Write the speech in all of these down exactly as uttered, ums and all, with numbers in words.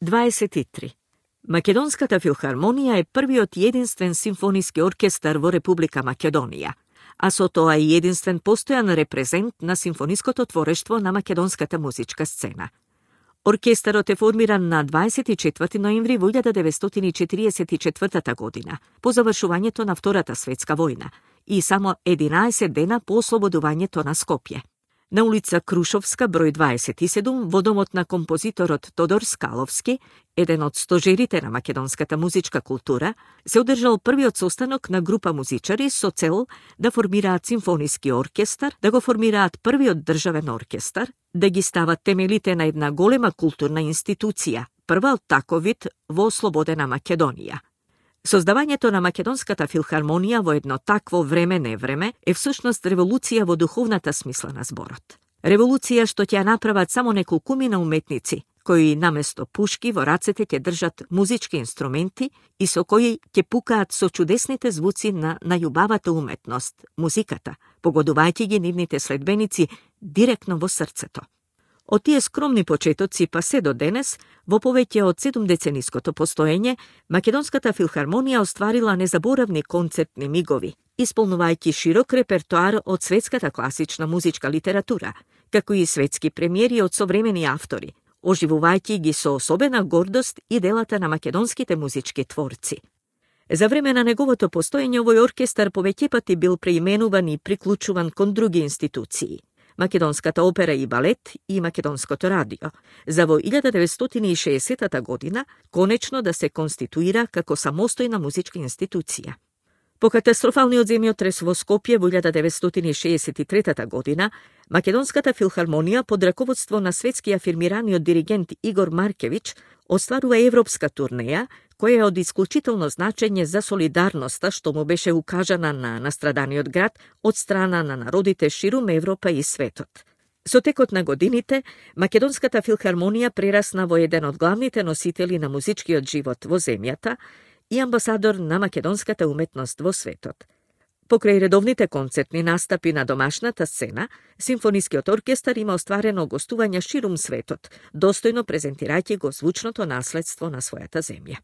дваесет и три. Македонската филхармонија е првиот и единствен симфониски оркестар во Република Македонија, а со тоа и единствен постојан репрезент на симфониското творештво на македонската музичка сцена. Оркестарот е формиран на дваесет и четврти ноември во илјада деветстотини и четириесет и четвртата година, по завршувањето на Втората светска војна и само единаесет дена по ослободувањето на Скопје. На улица Крушовска, број дваесет и седум, во домот на композиторот Тодор Скаловски, еден од стожерите на македонската музичка култура, се одржал првиот состанок на група музичари со цел да формираат симфониски оркестар, да го формираат првиот државен оркестар, да ги стават темелите на една голема културна институција, прва од таков вид во ослободена Македонија. Создавањето на Македонската филхармонија во едно такво време-невреме е всушност револуција во духовната смисла на зборот. Револуција што ќе ја направат само неколкумина уметници, кои наместо пушки во рацете ќе држат музички инструменти и со кои ќе пукаат со чудесните звуци на најубавата уметност, музиката, погодувајќи ги нивните следбеници директно во срцето. Од тие скромни почетоци па се до денес, во повеќе од седумдецениското постоење, Македонската филхармонија остварила незаборавни концертни мигови, исполнувајќи широк репертоар од светската класична музичка литература, како и светски премиери од современи автори, оживувајќи ги со особена гордост и делата на македонските музички творци. За време на неговото постоење овој оркестар повеќе пати бил преименуван и приклучуван кон други институции. Македонската опера и балет и Македонското радио, за во илјада деветстотини и шеесеттата година конечно да се конституира како самостојна музичка институција. По катастрофалниот земјотрес во Скопје во илјада деветстотини и шеесет и третата година, Македонската филхармонија под раководство на светски афирмираниот диригент Игор Маркевич остварува европска турнеја, која е од исклучително значење за солидарноста што му беше укажана на настраданиот град од страна на народите ширум Европа и светот. Со текот на годините, Македонската филхармонија прерасна во еден од главните носители на музичкиот живот во земјата и амбасадор на македонската уметност во светот. Покрај редовните концертни настапи на домашната сцена, симфонискиот оркестар има остварено гостувања ширум светот, достојно презентирајќи го звучното наследство на својата земја.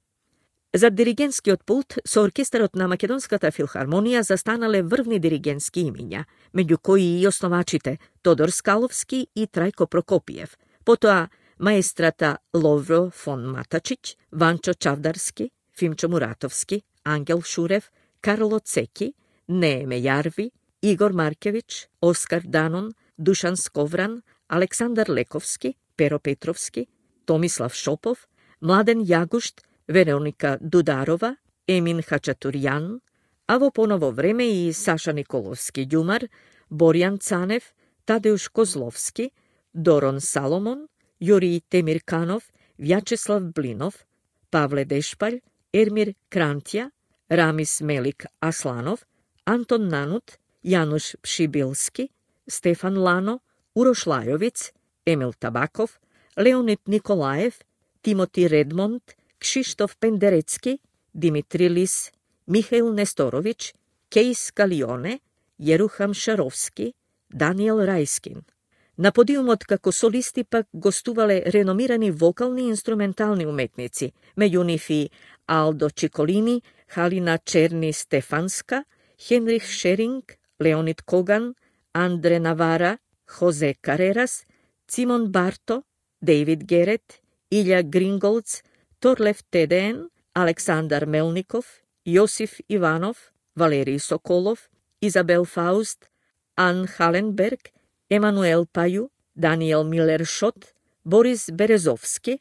За диригентскиот пулт со оркестарот на Македонската филхармонија застанале врвни диригентски имиња, меѓу кои и основачите Тодор Скаловски и Трајко Прокопиев, потоа маестрата Ловро фон Матачиć, Ванчо Чавдарски, Фимчо Муратовски, Ангел Шурев, Карло Цеки, Нееме Јарви, Игор Маркевич, Оскар Данон, Душан Сковран, Александар Лековски, Перо Петровски, Томислав Шопов, Младен Јагушт, Вероника Дударова, Емин Хачатурјан, а во поново време и Саша Николовски Ѓумар, Борјан Цанев, Тадеуш Козловски, Дорон Саломон, Јури Темирканов, Вјачеслав Блинов, Павле Дешпалј, Ермир Крантја, Рамис Мелик Асланов, Антон Нанут, Јануш Пшибилски, Стефан Лано, Урош Лајовиц, Емил Табаков, Леонид Николаев, Тимоти Редмонд, Кшиштоф Пендерецки, Димитри Лис, Михаил Несторовиќ, Кейс Калионе, Јерухам Шаровски, Даниел Рајскин. На подиумот како солисти пак гостувале реномирани вокални и инструментални уметници, меѓу нив и Алдо Чиколини, Халина Черни Стефанска, Хенрих Шеринг, Леонид Коган, Андре Навара, Хозе Карерас, Цимон Барто, Дейвид Герет, Илја Гринголц, Торлев Тедеен, Александар Мелников, Јосиф Иванов, Валерий Соколов, Изабел Фауст, Ан Халенберг, Емануел Пају, Даниел Милер Шот, Борис Березовски,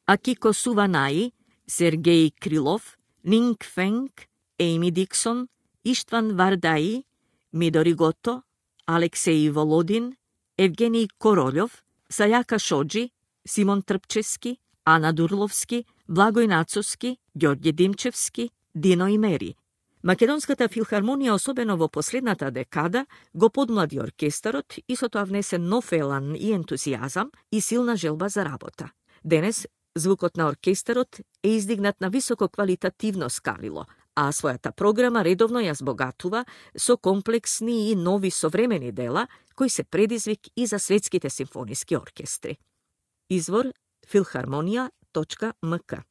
Акико Суванаи, Сергеј Крилов, Нинг Фенг, Ейми Диксон, Иштван Вардаи, Мидори Гото, Алексеј Володин, Евгений Королјов, Сајака Шоджи, Симон Трпчевски, Ана Дурловски, Благој Нацовски, Ѓорѓе Димчевски, Дино и Мери. Македонската филхармонија, особено во последната декада, го подмлади оркестарот и со тоа внесе нов елан и ентузијазам и силна желба за работа. Денес, звукот на оркестарот е издигнат на високо квалитативно скалило, а својата програма редовно ја збогатува со комплексни и нови современи дела, кои се предизвик и за светските симфониски оркестри. Извор Филхармонија, точка ем ка.